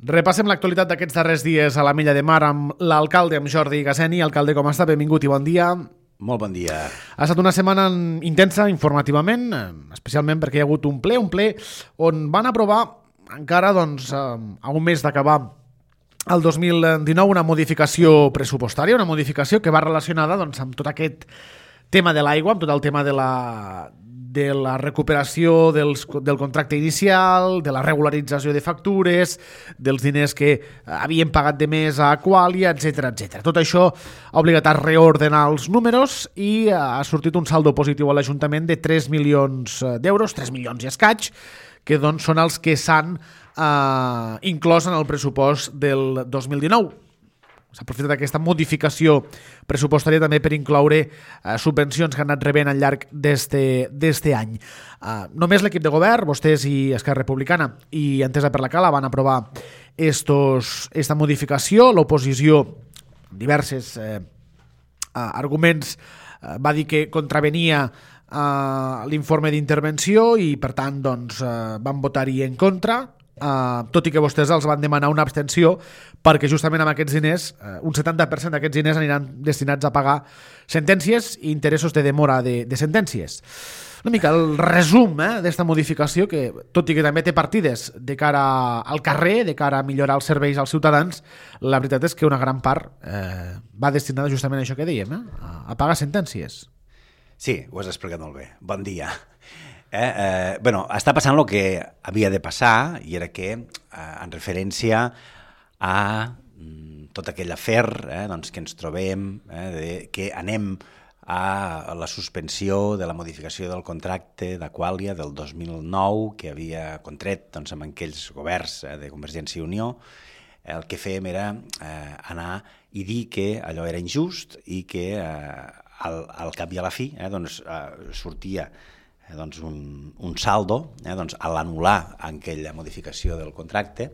Repassem l'actualitat d'aquests darrers dies a la Milla de Mar amb l'alcalde, amb Jordi Gasseni. Alcalde, com està? Benvingut i bon dia. Molt bon dia. Ha estat una setmana intensa informativament, especialment perquè hi ha hagut un ple on van aprovar encara a un mes d'acabar el 2019 una modificació pressupostària, una modificació que va relacionada amb tot aquest tema de l'aigua, amb tot el tema de la recuperació del contracte inicial, de la regularització de factures, dels diners que havien pagat de més a Aqualia, etc. Tot això ha obligat a reordenar els números i ha sortit un saldo positiu a l'Ajuntament de 3 milions d'euros, 3 milions i escaig, que són els que s'han inclòs en el pressupost del 2019. S'ha aprofitat aquesta modificació pressupostària també per incloure subvencions que han anat rebent al llarg d'este any. Només l'equip de govern, vostès i Esquerra Republicana i Entesa per la Cala, van aprovar esta modificació. L'oposició, amb diversos arguments, va dir que contravenia l'informe d'intervenció i, per tant, van votar-hi en contra, tot i que vostès els van demanar una abstenció perquè justament amb aquests diners, un 70% d'aquests diners aniran destinats a pagar sentències i interessos de demora de sentències. Una mica el resum d'esta modificació, que tot i que també té partides de cara al carrer, de cara a millorar els serveis als ciutadans, la veritat és que una gran part va destinada justament a això que dèiem, a pagar sentències. Sí, ho has explicat molt bé. Bon dia. Està passant el que havia de passar, i era que, en referència a tot aquell afer que ens trobem, que anem a la suspensió de la modificació del contracte d'Aqualia del 2009, que havia contret amb aquells governs de Convergència i Unió. El que fèiem era anar i dir que allò era injust i que al cap i a la fi sortia un saldo a l'anul·lar aquella modificació del contracte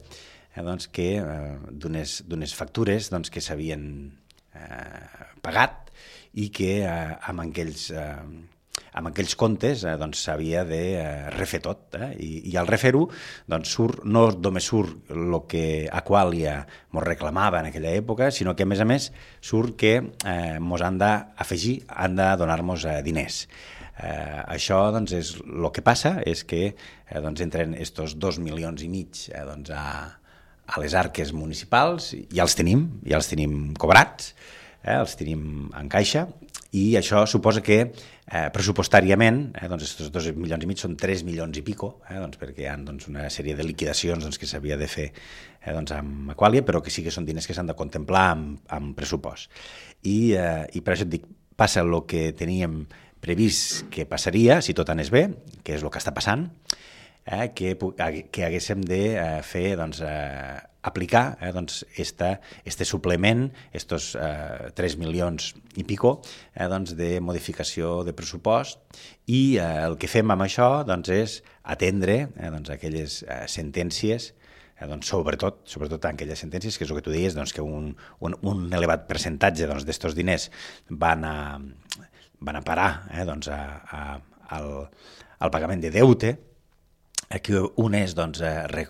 d'unes factures que s'havien pagat i que amb aquells comptes s'havia de refer tot. I al refer-ho no només surt el que Aqualia ens reclamava en aquella època, sinó que a més surt que ens han d'afegir, han de donar-nos diners. Això és el que passa, és que entren estos 2 milions i mig a les arques municipals, ja els tenim cobrats, els tenim en caixa, i això suposa que pressupostàriament estos 2 milions i mig són 3 milions i pico, perquè hi ha una sèrie de liquidacions que s'havia de fer amb Aqualia, però que sí que són diners que s'han de contemplar amb pressupost. I per això et dic, passa el que teníem previst que passaria, si tot anés bé, que és el que està passant, que haguéssim de fer, aplicar este suplement, estos 3 milions i pico de modificació de pressupost, i el que fem amb això és atendre aquelles sentències, sobretot en aquelles sentències, que és el que tu deies, que un elevat percentatge d'estos diners van a parar al pagament de deute, que un és,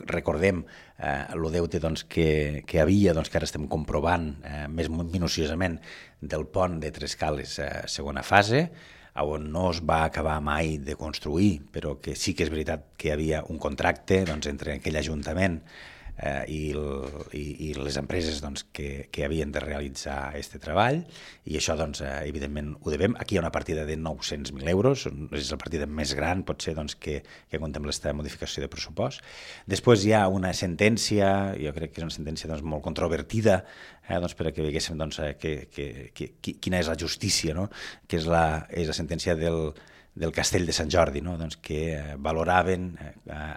recordem, el deute que hi havia, que ara estem comprovant més minuciosament, del pont de Trescales segona fase, on no es va acabar mai de construir, però que sí que és veritat que hi havia un contracte entre aquell ajuntament i les empreses que havien de realitzar aquest treball, i això evidentment ho devem. Aquí hi ha una partida de 900.000 euros, és la partida més gran potser que contempla aquesta modificació de pressupost. Després hi ha una sentència, jo crec que és una sentència molt controvertida, perquè veiéssim quina és la justícia, que és la sentència del Castell de Sant Jordi, que valoraven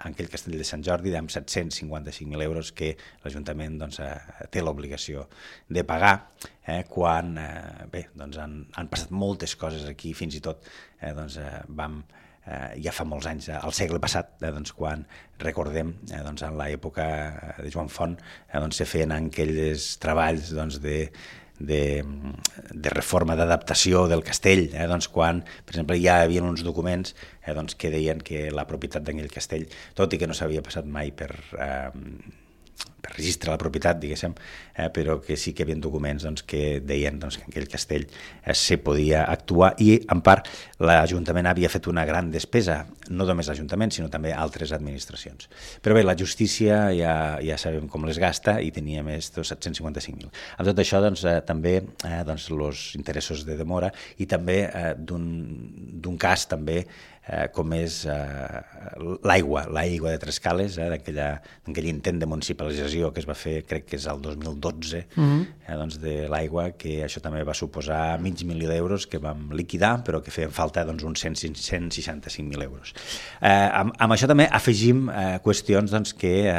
aquell Castell de Sant Jordi amb 755.000 euros que l'Ajuntament té l'obligació de pagar, quan han passat moltes coses aquí, fins i tot ja fa molts anys, al segle passat, quan recordem en l'època de Joan Font se feien aquells treballs de reforma, d'adaptació del castell, quan, per exemple, ja hi havia uns documents que deien que la propietat d'aquell castell, tot i que no s'havia passat mai per registre de la propietat, diguéssim, però que sí que hi havia documents doncs, que deien doncs, que en aquell castell se podia actuar i, en part, l'Ajuntament havia fet una gran despesa, no només l'Ajuntament, sinó també altres administracions. Però bé, la justícia ja sabem com les gasta i tenia més de 755.000. Amb tot això, doncs, també els interessos de demora i també d'un cas també com és l'aigua de Trescales, d'aquell intent de municipalització que es va fer, crec que és el 2012, doncs de l'aigua, que això també va suposar $500.000 que vam liquidar, però que feien falta doncs, uns 165.000 euros. Amb això també afegim qüestions doncs, que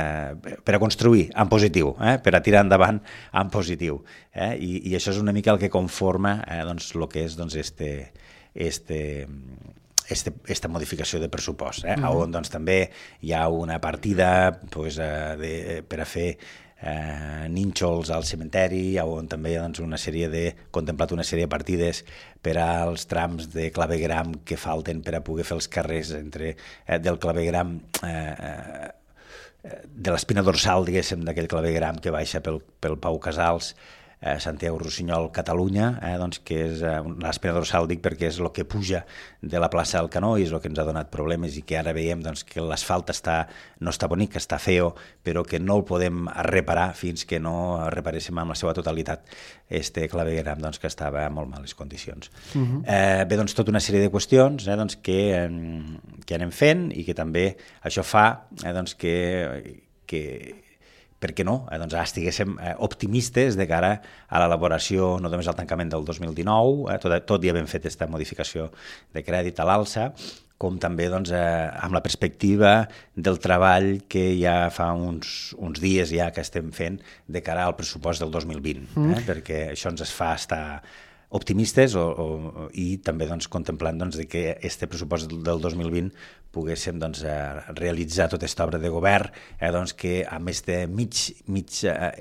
per a construir en positiu, per a tirar endavant en positiu. I això és una mica el que conforma doncs, el que és doncs, esta modificació de pressupost, on doncs, també hi ha una partida doncs, per a fer nínxols al cementeri, on també hi ha doncs, contemplat una sèrie de partides per als trams de clavegram que falten per a poder fer els carrers del clavegram de l'espina dorsal, diguéssim, d'aquell clavegram que baixa pel Pau Casals, Santiago Rossinyol, Catalunya, doncs, que és l'espina dorsal, dic perquè és el que puja de la plaça del Canó i és el que ens ha donat problemes i que ara veiem doncs, que l'asfalt no està bonic, que està feo, però que no el podem reparar fins que no reparéssim amb la seva totalitat este clavegueram doncs, que estava en molt males condicions. Bé, doncs, tota una sèrie de qüestions doncs, que anem fent i que també això fa doncs, que per què no? Doncs estiguéssim optimistes de cara a l'elaboració, no només al tancament del 2019, tot i havent fet aquesta modificació de crèdit a l'alça, com també doncs, amb la perspectiva del treball que ja fa uns dies ja que estem fent de cara al pressupost del 2020, perquè això ens fa estar optimistes i també doncs, contemplant doncs, que este pressupost del 2020 poguéssim doncs, realitzar tota aquesta obra de govern doncs, que a més de mig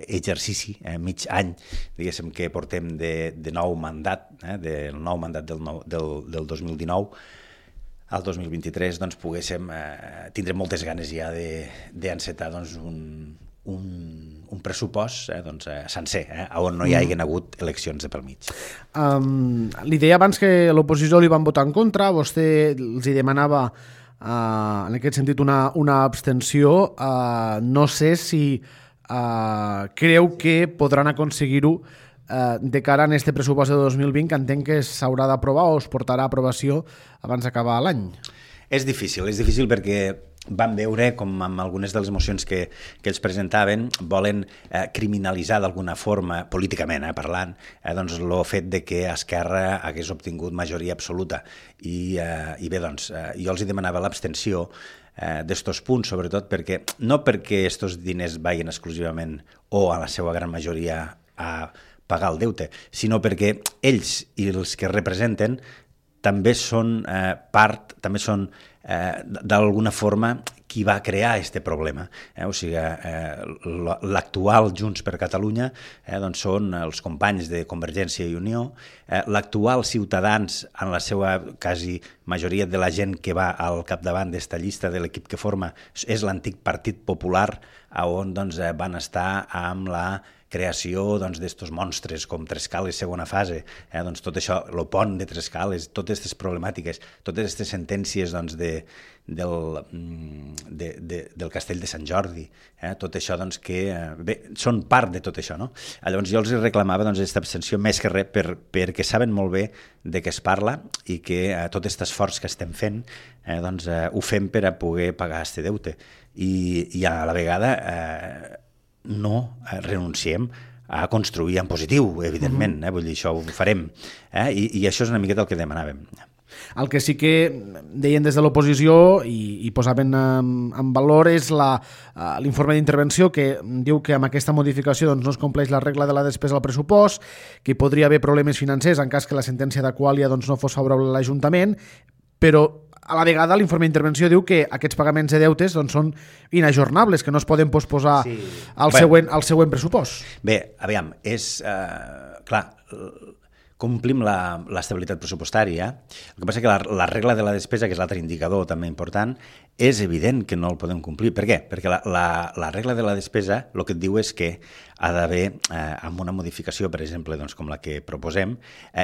exercici, mig any, diguéssim que portem de nou mandat, del nou mandat del 2019, al 2023 doncs, poguéssim tindre moltes ganes ja d'encetar doncs, un pressupost doncs, sencer, on no hi hagin hagut eleccions de pel mig. Li deia abans que l'oposició li van votar en contra, vostè els hi demanava en aquest sentit una abstenció. No sé si creu que podran aconseguir-ho de cara a aquest pressupost de 2020, que entenc que s'haurà d'aprovar o es portarà a aprovació abans d'acabar l'any. És difícil perquè vam veure com amb algunes de les mocions que ells presentaven volen criminalitzar d'alguna forma, políticament parlant, doncs el fet de que Esquerra hagués obtingut majoria absoluta. I bé, doncs, jo els demanava l'abstenció d'estos punts, sobretot no perquè estos diners vagin exclusivament o a la seva gran majoria a pagar el deute, sinó perquè ells i els que representen també són part, també són d'alguna forma qui va crear aquest problema. O sigui, l'actual Junts per Catalunya doncs són els companys de Convergència i Unió, l'actual Ciutadans, en la seva quasi majoria de la gent que va al capdavant d'esta llista de l'equip que forma, és l'antic Partit Popular, on doncs, van estar amb la creació d'estos monstres com Trescales segona fase, doncs tot això, el pont de Trescales, totes aquestes problemàtiques, totes aquestes sentències doncs, del Castell de Sant Jordi, tot això doncs, que bé, són part de tot això. No? Llavors jo els reclamava aquesta abstenció més que res perquè saben molt bé de què es parla i que tot aquest esforç que estem fent doncs, ho fem per a poder pagar aquest deute i a la vegada no renunciem a construir en positiu, evidentment, vull dir, això ho farem, i això és una miqueta el que demanàvem. El que sí que deien des de l'oposició i posaven en valor és l'informe d'intervenció que diu que amb aquesta modificació doncs, no es compleix la regla de la despesa al pressupost, que hi podria haver problemes financers en cas que la sentència d'Aquàlia doncs, no fos favorable a l'Ajuntament, però a la vegada l'informe d'intervenció diu que aquests pagaments de deutes doncs, són inajornables, que no es poden posposar al següent pressupost. Bé, aviam, és clar, complim l'estabilitat pressupostària. El que passa que la regla de la despesa, que és l'altre indicador també important, és evident que no el podem complir. Per què? Perquè la regla de la despesa el que et diu és que ha d'haver, amb una modificació, per exemple, doncs, com la que proposem,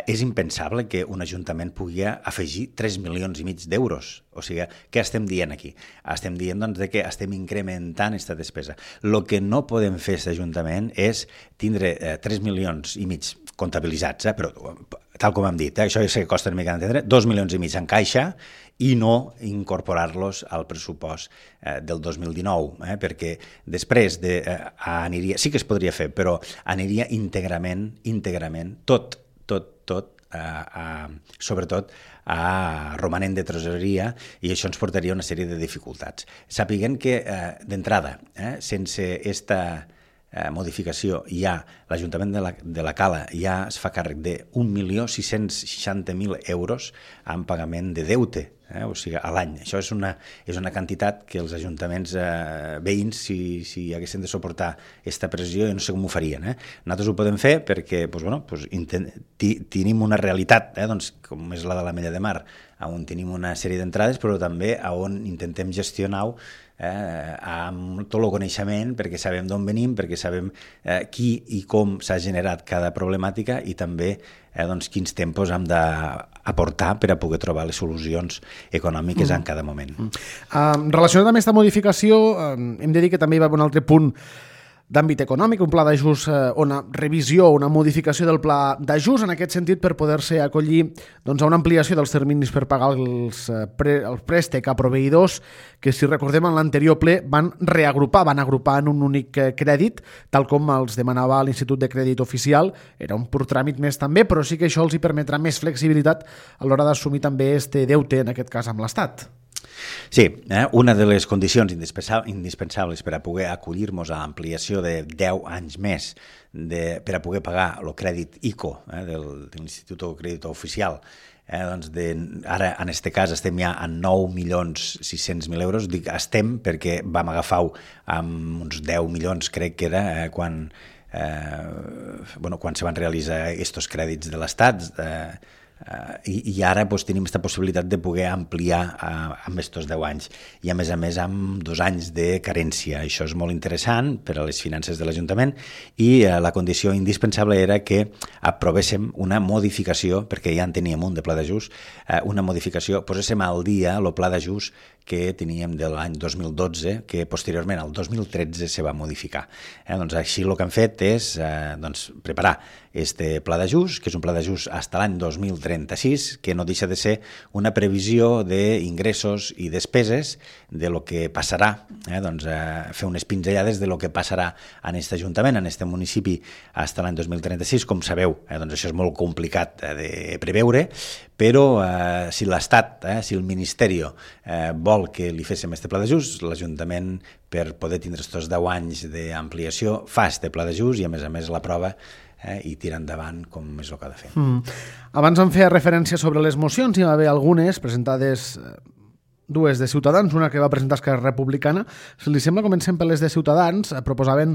és impensable que un ajuntament pugui afegir 3,5 milions d'euros. O sigui, què estem dient aquí? Estem dient doncs, que estem incrementant aquesta despesa. El que no podem fer aquest ajuntament és tindre 3,5 milions comptabilitzats, però tal com hem dit, això ja sé que costa una mica d'entendre, 2,5 milions en caixa i no incorporar-los al pressupost del 2019, perquè després aniria, sí que es podria fer, però aniria íntegrament, tot, sobretot a romanent de tresoreria, i això ens portaria a una sèrie de dificultats. Sàpiguen que, d'entrada, sense esta modificació, l'Ajuntament de la Cala ja es fa càrrec de 1.660.000 euros en pagament de deute, o sigui, a l'any. Això és una quantitat que els ajuntaments veïns, si haguessin de suportar aquesta pressió, jo no sé com ho farien. Nosaltres ho podem fer perquè tenim una realitat, com és la de l'Ametlla de Mar, on tenim una sèrie d'entrades, però també on intentem gestionar amb tot el coneixement, perquè sabem d'on venim, perquè sabem qui i com s'ha generat cada problemàtica i també quins tempos hem d'aportar per a poder trobar les solucions econòmiques en cada moment. Relacionat amb aquesta modificació, hem de dir que també hi va haver un altre punt d'àmbit econòmic, un pla d'ajust, una revisió, una modificació del pla d'ajust, en aquest sentit, per poder-se acollir a una ampliació dels terminis per pagar el préstec a proveïdors que, si recordem, en l'anterior ple van agrupar en un únic crèdit, tal com els demanava l'Institut de Crèdit Oficial. Era un pur tràmit més també, però sí que això els hi permetrà més flexibilitat a l'hora d'assumir també este deute, en aquest cas amb l'Estat. Sí, una de les condicions indispensables per a poder acollir-nos a l'ampliació de 10 anys més per a poder pagar el crèdit ICO de l'Institut de Crèdit Oficial, ara en aquest cas estem ja a 9.600.000 euros. Dic estem perquè vam agafar amb uns 10 milions, crec que era, quan se van realitzar aquests crèdits de l'Estat, i ara tenim aquesta possibilitat de poder ampliar amb aquests 10 anys i a més amb 2 anys de carència. Això és molt interessant per a les finances de l'Ajuntament i la condició indispensable era que aprovéssim una modificació, perquè ja en teníem un de pla d'ajust, una modificació, poséssim al dia el pla d'ajust que teníem de l'any 2012, que posteriorment, el 2013, se va modificar. Així el que hem fet és preparar este pla d'ajust, que és un pla d'ajust fins a l'any 2036, que no deixa de ser una previsió d'ingressos i despeses de lo que passarà, fer unes pinzellades de lo que passarà en aquest Ajuntament, en aquest municipi, fins a l'any 2036. Com sabeu, això és molt complicat de preveure, però si l'Estat, si el Ministeri vol que li féssim aquest pla d'ajust, l'Ajuntament, per poder tindre aquests 10 anys d'ampliació, fa aquest pla d'ajust i a més l'aprova i tira endavant com és el que ha de fer. Abans em feia referència sobre les mocions, hi va haver algunes presentades, dues de Ciutadans, una que va presentar Esquerra Republicana. Si li sembla, comencem per les de Ciutadans. Proposaven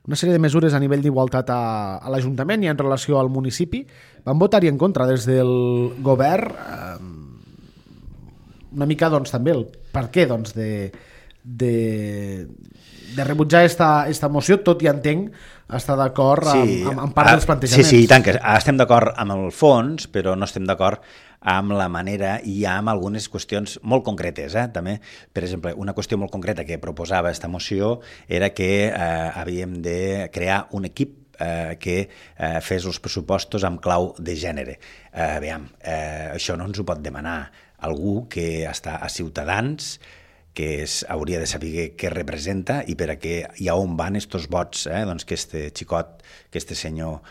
una sèrie de mesures a nivell d'igualtat a l'Ajuntament i en relació al municipi. Van votar-hi en contra des del govern, una mica també el per què de rebutjar esta moció, tot i entenc estar d'acord amb part dels plantejaments. Sí, i tant, que estem d'acord amb el fons, però no estem d'acord amb la manera i amb algunes qüestions molt concretes. També, per exemple, una qüestió molt concreta que proposava aquesta moció era que havíem de crear un equip que fes els pressupostos amb clau de gènere. Això no ens ho pot demanar algú que està a Ciutadans, que hauria de saber què representa i per a què i a on van aquests vots que este xicot, que este senyor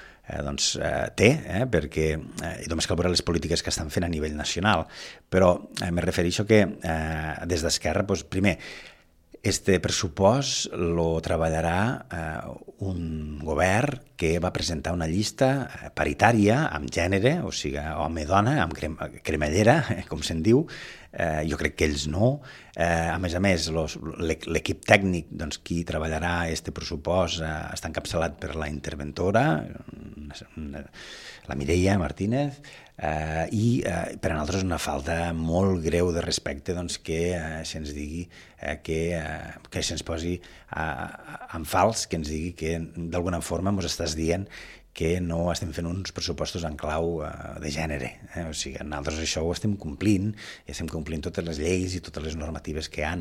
té, perquè només cal veure les polítiques que estan fent a nivell nacional. Però me refereixo que des d'Esquerra, primer, este pressupost lo treballarà un govern que va presentar una llista paritària amb gènere, o sigui, home-dona, amb cremallera, com se'n diu, jo crec que ells no. A més, l'equip tècnic, doncs, qui treballarà este pressupost està encapçalat per la interventora, la Mireia Martínez, i per a nosaltres és una falta molt greu de respecte, doncs, que se'ns digui que se'ns posi en fals, que ens digui que d'alguna forma ens estàs dient que no estem fent uns pressupostos en clau de gènere. O sigui, nosaltres això ho estem complint, i estem complint totes les lleis i totes les normatives que hi ha.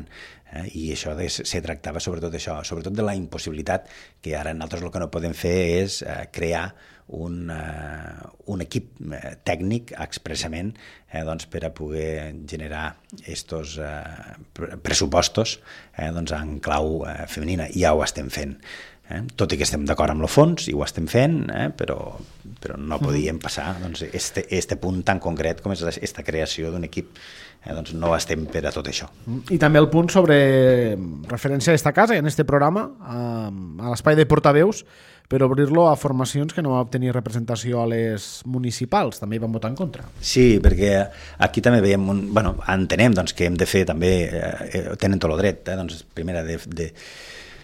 I això se tractava sobretot d'això, sobretot de la impossibilitat que ara nosaltres el que no podem fer és crear un equip tècnic expressament doncs, per a poder generar estos pressupostos doncs, en clau femenina. Ja ho estem fent. Tot i que estem d'acord amb el fons i ho estem fent, però no podíem passar doncs, este punt tan concret com és aquesta creació d'un equip. Doncs no estem per a tot això. I també el punt sobre referència a esta casa i en este programa, a l'espai de portaveus, per obrir-lo a formacions que no van obtenir representació a les municipals. També hi van votar en contra. Sí, perquè aquí també veiem entenem doncs, que hem de fer també, tenen tot el dret, doncs, primera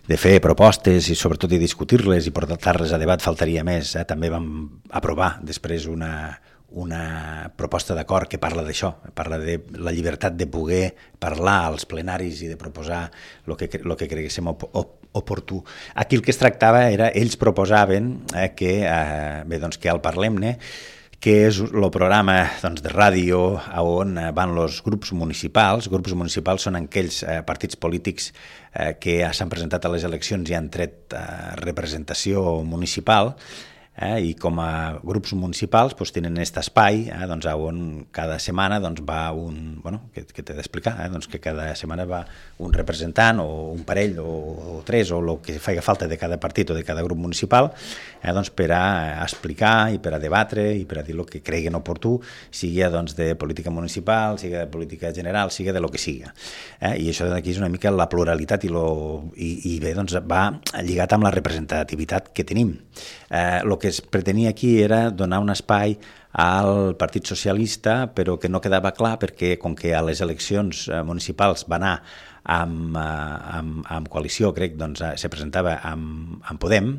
de fer propostes i sobretot de discutir-les i portar-les a debat, faltaria més. També vam aprovar després una proposta d'acord que parla d'això, parla de la llibertat de poder parlar als plenaris i de proposar el que creguéssim oportú. Aquí el que es tractava era, ells proposaven que al Parlem-ne, que és el programa doncs, de ràdio on van els grups municipals. Grups municipals són aquells partits polítics que s'han presentat a les eleccions i han tret representació municipal, i com a grups municipals doncs, tenen aquest espai doncs, on cada setmana doncs, va que t'he d'explicar, doncs, que cada setmana va un representant o un parell o tres o el que faci falta de cada partit o de cada grup municipal doncs, per a explicar i per a debatre i per a dir el que creguin oportú, sigui doncs, de política municipal, sigui de política general, sigui de lo que sigui. I això d'aquí és una mica la pluralitat i bé, doncs, va lligat amb la representativitat que tenim. El que es pretenia aquí era donar un espai al Partit Socialista, però que no quedava clar perquè com que a les eleccions municipals va anar amb coalició, crec, doncs se presentava amb Podem,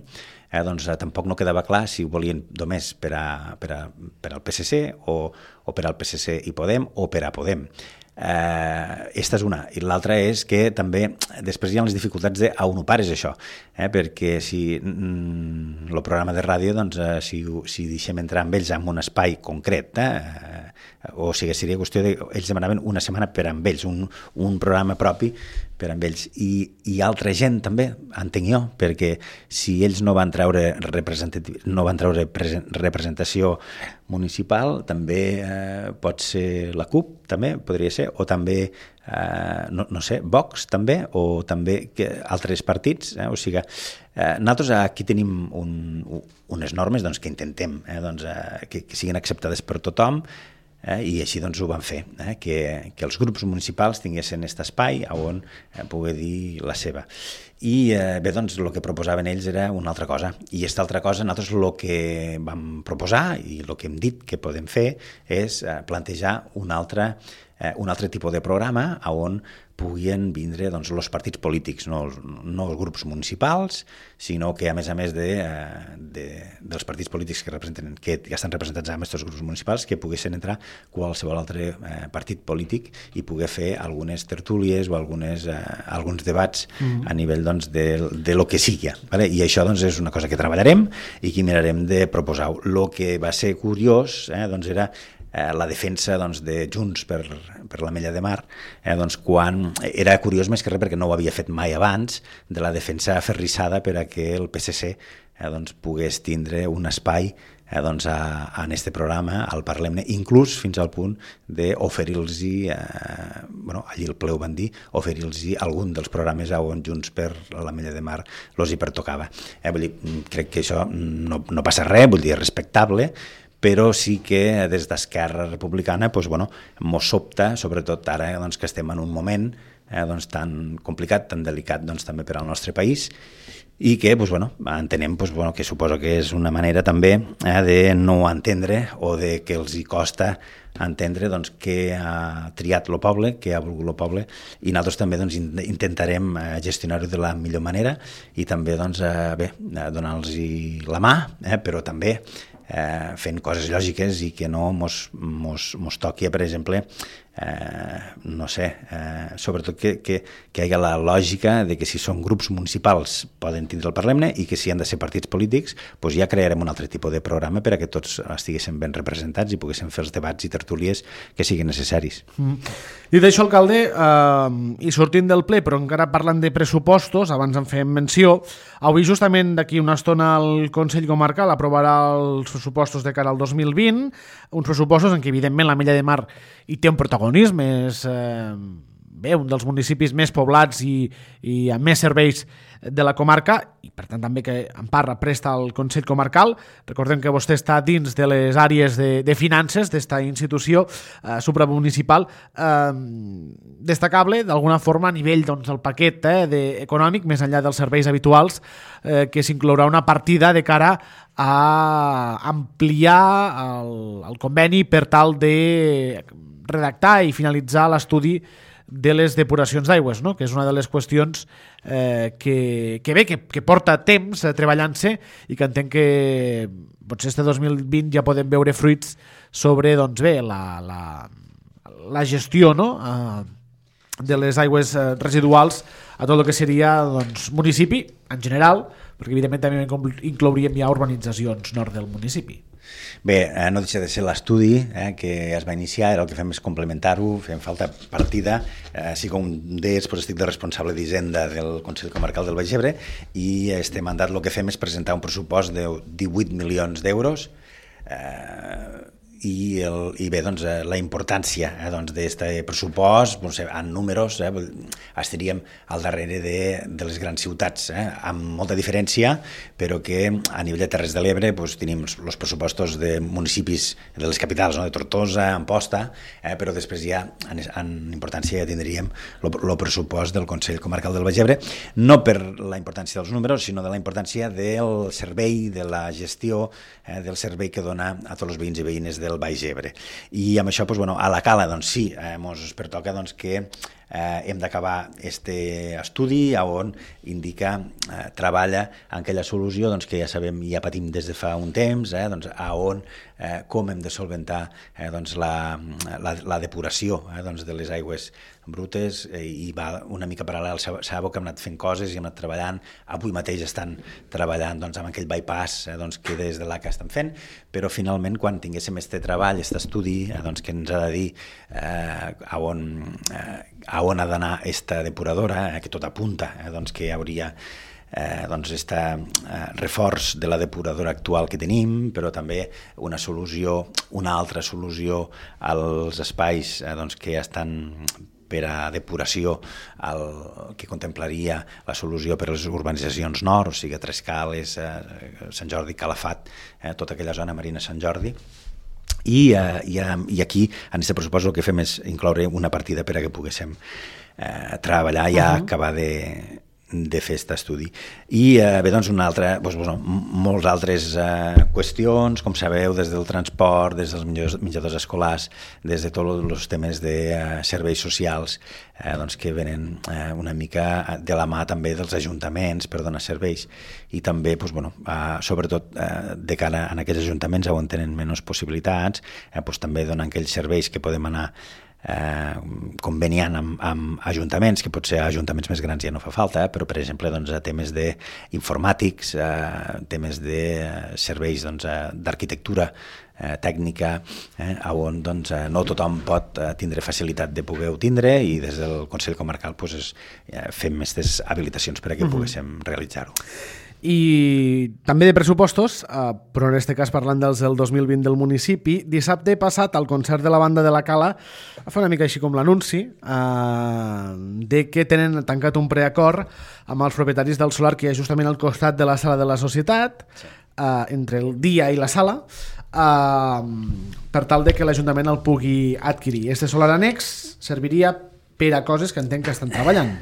doncs tampoc no quedava clar si ho volien només per al PSC o per al PSC i Podem o per a Podem. Esta és una. I l'altra és que també després hi ha les dificultats d'on ho pares això, perquè si el programa de ràdio, doncs, si deixem entrar amb ells en un espai concret, o sigui, seria qüestió de... Ells demanaven una setmana per amb ells, un programa propi per amb ells. I altra gent també, entenc jo, perquè si ells no van treure representació municipal, també pot ser la CUP, també podria ser, o també, no sé, Vox també, o també altres partits. O sigui, nosaltres aquí tenim unes normes doncs, que intentem que siguin acceptades per tothom, i així doncs ho van fer, que els grups municipals tinguessin aquest espai on poder dir la seva. I bé, doncs el que proposaven ells era una altra cosa, i aquesta altra cosa nosaltres el que vam proposar i el que hem dit que podem fer és plantejar un altre tipus de programa on puguin vindre doncs, els partits polítics, no els grups municipals, sinó que a més dels partits polítics que ja estan representats en aquests grups municipals, que poguessin entrar qualsevol altre partit polític i poder fer algunes tertúlies o alguns debats a nivell doncs, de lo que sigui. Vale? I això doncs, és una cosa que treballarem i que mirarem de proposar. El que va ser curiós doncs, era la defensa doncs, de Junts per l'Ametlla de Mar, doncs, quan era curiós més que res perquè no ho havia fet mai abans, de la defensa aferrissada per a que el PSC doncs, pogués tindre un espai doncs, en este programa, al Parlem-ne, inclús fins al punt d'oferir-los, allí el ple ho van dir, oferir-los algun dels programes on Junts per l'Ametlla de Mar els hi pertocava. Vull dir, crec que això no passa res, vull dir, és respectable, però sí que des d'Esquerra Republicana mos sobta, sobretot ara que estem en un moment tan complicat, tan delicat també per al nostre país, i que entenem que suposo que és una manera també de no entendre o de que els hi costa entendre què ha triat el poble, què ha volgut el poble, i nosaltres també intentarem gestionar-ho de la millor manera i també donar-los la mà, però també fent coses lògiques i que no mos toqui, per exemple, sobretot que hi hagi la lògica de que si són grups municipals poden tindre el Parlament i que si han de ser partits polítics ja crearem un altre tipus de programa per a que tots estiguéssim ben representats i poguéssim fer els debats i tertúlies que siguin necessaris. Dit això, alcalde, i sortint del ple, però encara parlant de pressupostos, abans en fèiem menció, avui justament d'aquí una estona el Consell Comarcal aprovarà els pressupostos de cara al 2020, uns pressupostos en què evidentment l'Ametlla de Mar hi té un protagonisme, és un dels municipis més poblats i amb més serveis de la comarca, i per tant també que en part presta al Consell Comarcal. Recordem que vostè està dins de les àrees de finances d'esta institució supramunicipal, destacable d'alguna forma a nivell del paquet econòmic, més enllà dels serveis habituals, que s'inclourà una partida de cara a ampliar el conveni per tal de redactar i finalitzar l'estudi de les depuracions d'aigües, no? Que és una de les qüestions que porta temps treballant-se i que entenc que potser este 2020 ja podem veure fruits sobre la gestió, no? De les aigües residuals a tot el que seria municipi en general, perquè evidentment també inclouríem ja urbanitzacions nord del municipi. Bé, no deixa de ser l'estudi que es va iniciar, ara el que fem és complementar-ho, fem falta partida, així com d'ells estic de responsable d'Hisenda del Consell Comarcal del Baix Ebre i este mandat el que fem és presentar un pressupost de 18 milions d'euros i bé, la importància d'aquest pressupost, en números, estaríem al darrere de les grans ciutats, amb molta diferència, però que a nivell de Terres de l'Ebre tenim els pressupostos de municipis de les capitals, de Tortosa, Amposta, però després ja en importància ja tindríem el pressupost del Consell Comarcal del Baix Ebre, no per la importància dels números, sinó de la importància del servei, de la gestió, del servei que dona a tots els veïns i veïnes del Baix Ebre. I amb això, a la Cala, sí, ens pertoca que hem d'acabar este estudi on indica, treballa en aquella solució que ja sabem, ja patim des de fa un temps, com hem de solventar la depuració de les aigües brutes, i va una mica paral·lel. Sabeu que hem anat fent coses i hem anat treballant. Avui mateix estan treballant amb aquell bypass que des de l'ACA estan fent, però finalment quan tinguéssim este treball, aquest estudi que ens ha de dir a on ha d'anar aquesta depuradora, que tot apunta que hi hauria reforç de la depuradora actual que tenim, però també una altra solució als espais que estan per a depuració, que contemplaria la solució per a les urbanitzacions nord, o sigui, Trescales, Sant Jordi, Calafat, tota aquella zona Marina Sant Jordi. I aquí, en aquest pressupost, el que fem és incloure una partida per a que poguéssim treballar i acabar de fer aquest estudi. I bé, molts altres qüestions, com sabeu, des del transport, des dels menjadors escolars, des de tots els temes de serveis socials, que venen una mica de la mà també dels ajuntaments per donar serveis, i també, sobretot de cara a aquells ajuntaments on tenen menys possibilitats, també donar aquells serveis que podem anar conveniant amb ajuntaments, que potser a ajuntaments més grans ja no fa falta, però per exemple a temes d'informàtics, temes de serveis d'arquitectura tècnica, on no tothom pot tindre facilitat de poder-ho tindre, i des del Consell Comarcal fem aquestes habilitacions per a que poguéssim realitzar-ho. I també de pressupostos, però en aquest cas parlant dels del 2020 del municipi, dissabte passat al concert de la banda de la Cala va fer una mica així com l'anunci de que tenen tancat un preacord amb els propietaris del solar que hi ha justament al costat de la sala de la societat, entre el dia i la sala, per tal de que l'Ajuntament el pugui adquirir. Este solar annex serviria per a coses que entenc que estan treballant.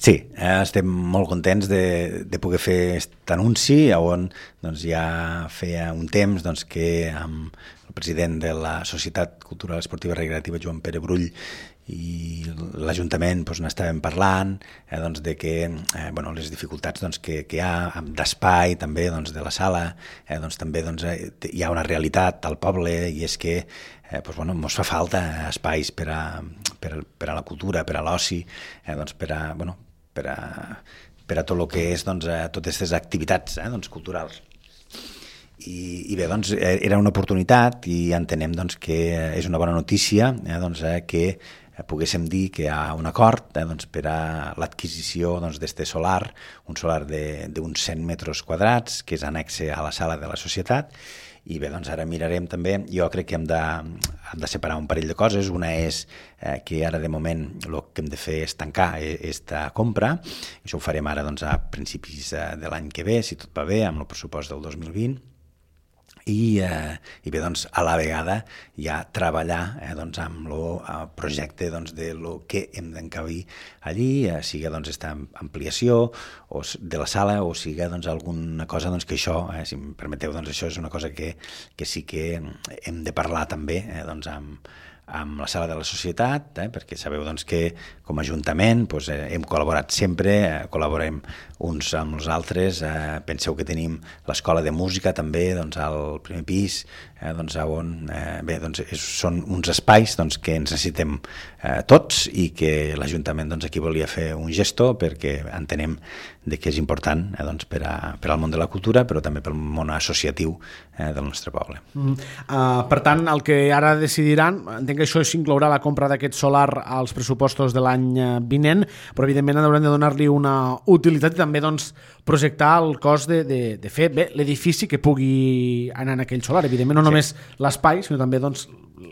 Sí, estem molt contents de poder fer aquest anunci on doncs, ja feia un temps doncs, que amb el president de la Societat Cultural Esportiva Recreativa, Joan Pere Brull, i l'Ajuntament doncs, n'estàvem parlant doncs, de que les dificultats doncs, que hi ha d'espai també doncs, de la sala, doncs, també doncs, hi ha una realitat al poble i és que ens fa falta espais per a la cultura, per a l'oci, doncs, per a tot el que és doncs, totes aquestes activitats doncs, culturals. I bé, doncs, era una oportunitat i entenem doncs, que és una bona notícia doncs, que poguéssim dir que hi ha un acord doncs, per a l'adquisició d'aquest solar, un solar d'uns 100 metres quadrats, que és annexe a la sala de la societat. I bé, doncs ara mirarem també, jo crec que hem de separar un parell de coses. Una és que ara de moment el que hem de fer és tancar aquesta compra. Això ho farem ara doncs, a principis de l'any que ve, si tot va bé, amb el pressupost del 2020. I bé, doncs, a la vegada ja treballar doncs, amb el projecte doncs, de lo que hem d'encabir allí, sigui doncs, aquesta ampliació de la sala o sigui doncs, alguna cosa doncs, que això, si em permeteu, doncs, això és una cosa que sí que hem de parlar també doncs, amb la sala de la societat, perquè sabeu doncs, que com a Ajuntament doncs, hem col·laborat sempre, col·laborem uns amb els altres, penseu que tenim l'escola de música també doncs, al primer pis, doncs, on són uns espais doncs, que ens necessitem tots i que l'Ajuntament doncs, aquí volia fer un gesto perquè entenem que és important doncs, per al món de la cultura però també pel món associatiu del nostre poble. Per tant, el que ara decidiran, entenc que això inclourà la compra d'aquest solar als pressupostos de l'any vinent, però evidentment haurem de donar-li una utilitat i també doncs, projectar el cost de fer bé l'edifici que pugui anar en aquell solar. Evidentment no només l'espai, sinó també doncs,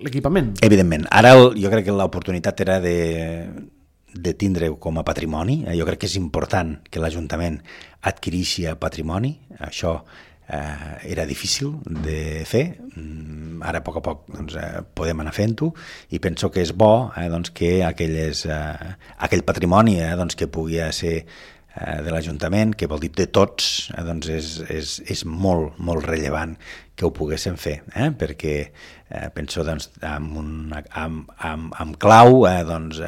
l'equipament. Evidentment. Ara jo crec que l'oportunitat era de tindre-ho com a patrimoni. Jo crec que és important que l'Ajuntament adquireixi patrimoni. Això era difícil de fer. Ara a poc doncs, podem anar fent-ho i penso que és bo doncs, que aquell patrimoni doncs, que pugui ser de l'Ajuntament, que vol dir de tots, doncs és molt, molt rellevant que ho poguéssim fer, perquè penso doncs, amb clau doncs,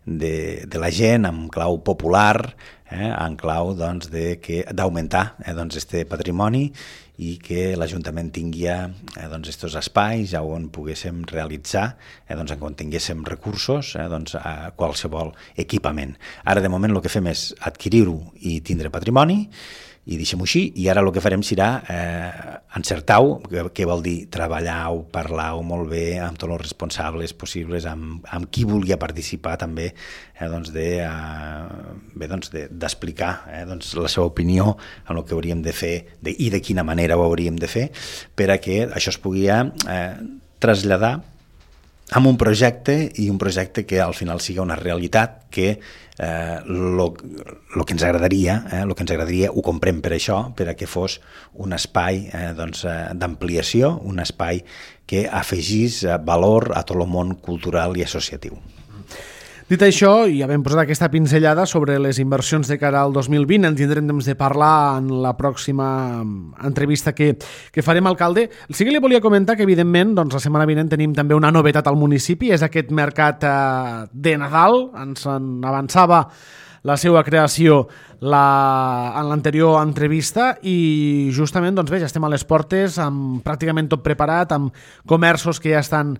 de la gent, amb clau popular, en clau doncs, d'augmentar doncs, este patrimoni i que l'Ajuntament tingui doncs, estos espais on poguéssim realitzar, doncs, quan tinguéssim recursos, doncs, a qualsevol equipament. Ara, de moment, el que fem és adquirir-ho i tindre patrimoni, i deixem-ho així, i ara el que farem serà encertar-ho, que vol dir treballar-ho, parlar-ho molt bé amb tots els responsables possibles, amb qui volia participar també, doncs d'explicar doncs la seva opinió en el que hauríem de fer i de quina manera ho hauríem de fer, per a que això es pugui traslladar amb un projecte i un projecte que al final sigui una realitat que el que ens agradaria ho comprem per això, per a que fos un espai d'ampliació, un espai que afegís valor a tot el món cultural i associatiu. Dit això, ja vam posar aquesta pinzellada sobre les inversions de cara al 2020, en tindrem temps de parlar en la pròxima entrevista que farem, alcalde. Sí que li volia comentar que, evidentment, doncs, la setmana vinent tenim també una novetat al municipi, és aquest mercat de Nadal. Ens en avançava la seva creació en l'anterior entrevista i justament doncs bé, ja estem a les portes amb pràcticament tot preparat, amb comerços que ja estan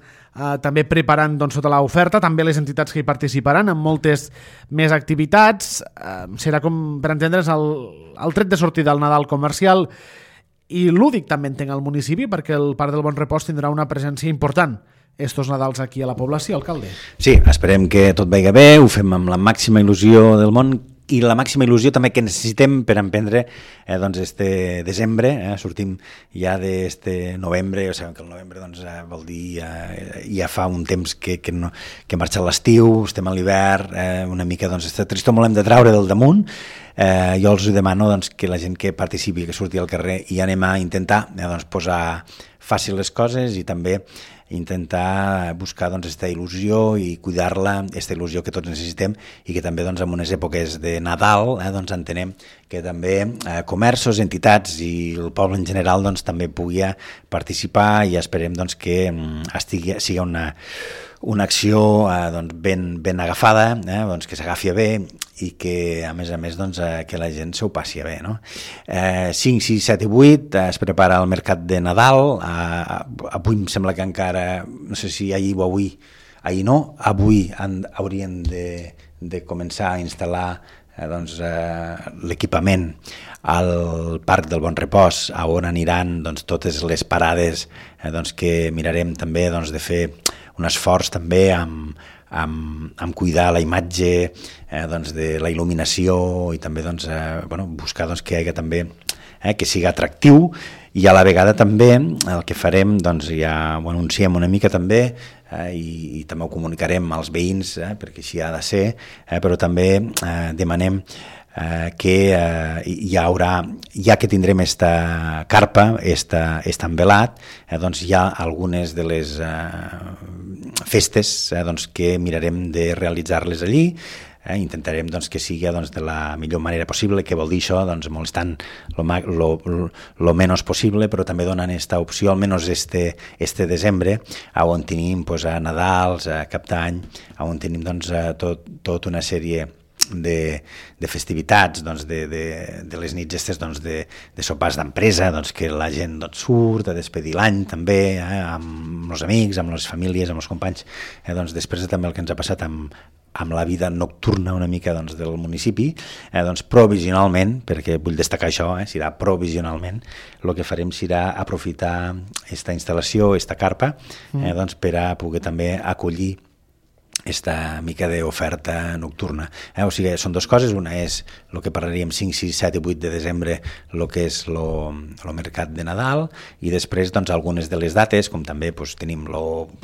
també preparant doncs, tota l'oferta, també les entitats que hi participaran amb moltes més activitats. Serà, com per entendre's, el tret de sortida del Nadal comercial i lúdic també entenc al municipi, perquè el Parc del Bon Repòs tindrà una presència important estos Nadals aquí a la població, alcalde. Sí, esperem que tot vagi bé, ho fem amb la màxima il·lusió del món i la màxima il·lusió també que necessitem per emprendre doncs este desembre, sortim ja d'este novembre, o sigui que el novembre doncs, vol dir ja fa un temps que marxa l'estiu, estem a l'hivern, una mica doncs aquesta tristor molt hem de traure del damunt. Jo els demano doncs, que la gent que participi, que surti al carrer i anem a intentar doncs, posar fàcil les coses i també intentar buscar aquesta il·lusió i cuidar-la, aquesta il·lusió que tots necessitem i que també en unes èpoques de Nadal entenem que també comerços, entitats i el poble en general també pugui participar i esperem que sigui una acció ben agafada, que s'agafi bé i que, a més, que la gent s'ho passi bé. No? 5, 6, 7 i 8 es prepara el mercat de Nadal. Avui em sembla que encara, no sé si ahir o ahir no, avui haurien de començar a instal·lar l'equipament al Parc del Bon Repòs, on aniran totes les parades que mirarem també de fer un esforç també amb cuidar la imatge de la il·luminació i també buscar que hi hagi també que sigui atractiu i a la vegada també el que farem ja ho anunciem una mica també i també ho comunicarem als veïns perquè així ha de ser, però també demanem que ja que tindrem esta carpa, este envelat, hi ha algunes de les festes que mirarem de realitzar-les allí. Intentarem que sigui de la millor manera possible, que vol dir això, molestant lo menys possible, però també donant aquesta opció, almenys este desembre, on tenim a Nadals, a Cap d'Any, on tenim tota una sèrie de festivitats, de les nits estes de sopars d'empresa, que la gent surt a despedir l'any també, amb els amics, amb les famílies, amb els companys, després també el que ens ha passat amb la vida nocturna una mica del municipi, provisionalment, perquè vull destacar això, serà provisionalment, el que farem serà aprofitar aquesta instal·lació, aquesta carpa, per a poder també acollir esta mica d'oferta nocturna. O sigui, són dues coses, una és el que parlaríem 5, 6, 7 i 8 de desembre, el que és el mercat de Nadal, i després algunes de les dates, com també tenim,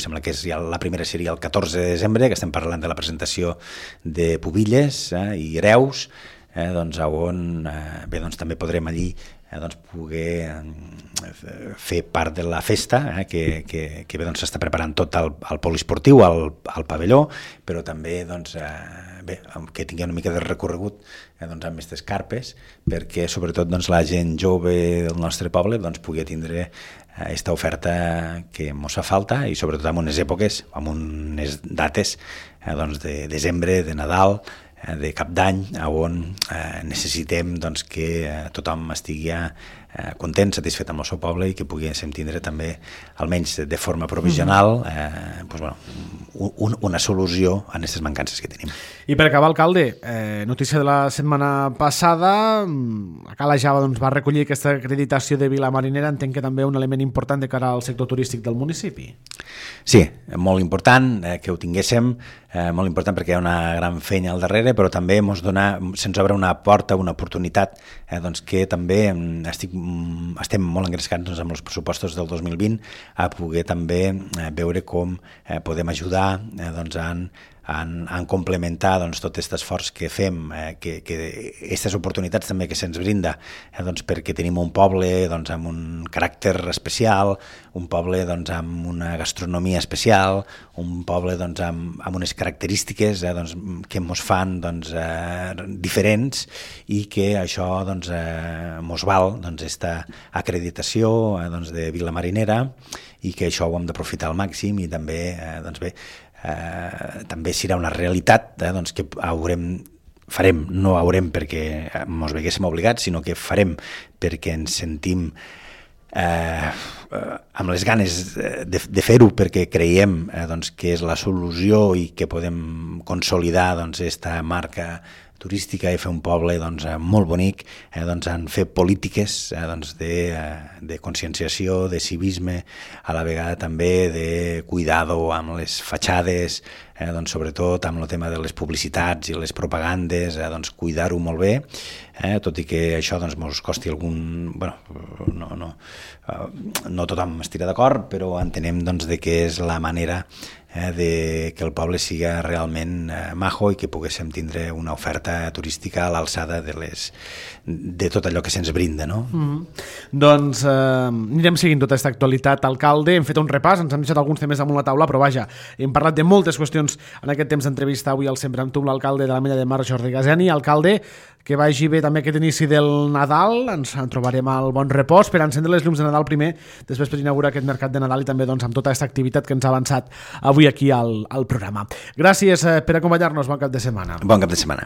sembla que la primera seria el 14 de desembre, que estem parlant de la presentació de Pubilles i Reus, on també podrem allí poder fer part de la festa que s'està preparant tot al poliesportiu, al pavelló, però també que tingui una mica de recorregut amb aquestes carpes, perquè sobretot la gent jove del nostre poble pugui tindre aquesta oferta que ens fa falta i sobretot en unes èpoques, en unes dates de desembre, de Nadal, de Cap d'Any, on necessitem que tothom estigui content, satisfet amb el seu poble i que poguéssim tindre també, almenys de forma provisional, una solució a aquestes mancances que tenim. I per acabar, alcalde, notícia de la setmana passada, a Cala Java va recollir aquesta acreditació de Vila Marinera, entenc que també un element important de cara al sector turístic del municipi. Sí, molt important que ho tinguéssim, molt important perquè hi ha una gran feina al darrere, però també se'ns obre una porta, una oportunitat que també estem molt engrescats amb els pressupostos del 2020 a poder també veure com podem ajudar en complementar tot aquest esforç que fem, que aquestes oportunitats també que se'ns brinda, perquè tenim un poble amb un caràcter especial, un poble amb una gastronomia especial, un poble amb unes característiques que ens fan diferents i que això ens val aquesta acreditació de Vila Marinera i que això ho hem d'aprofitar al màxim i també també serà una realitat que farem, no haurem perquè ens veguéssim obligats, sinó que farem perquè ens sentim amb les ganes de fer-ho, perquè creiem que és la solució i que podem consolidar aquesta marca turística i fer un poble molt bonic, en fer polítiques de conscienciació, de civisme, a la vegada també de cuidado amb les fatxades, sobretot amb el tema de les publicitats i les propagandes, cuidar-ho molt bé, tot i que això ens costi algun... no tothom estirà d'acord, però entenem que és la manera de que el poble siga realment majo i que poguéssim tindre una oferta turística a l'alçada de tot allò que se'ns brinda, no? Doncs anirem seguint tota aquesta actualitat. Alcalde, hem fet un repàs, ens han deixat alguns temes damunt la taula, però vaja, hem parlat de moltes qüestions en aquest temps d'entrevista avui al Sempre amb tu, l'alcalde de l'Ametlla de Mar, Jordi Gazeni. Alcalde, que vagi bé també aquest inici del Nadal, ens en trobarem al Bon Repòs per encendre les llums de Nadal primer, després per inaugurar aquest mercat de Nadal i també doncs, amb tota aquesta activitat que ens ha avançat avui aquí al programa. Gràcies per acompanyar-nos, bon cap de setmana. Bon cap de setmana.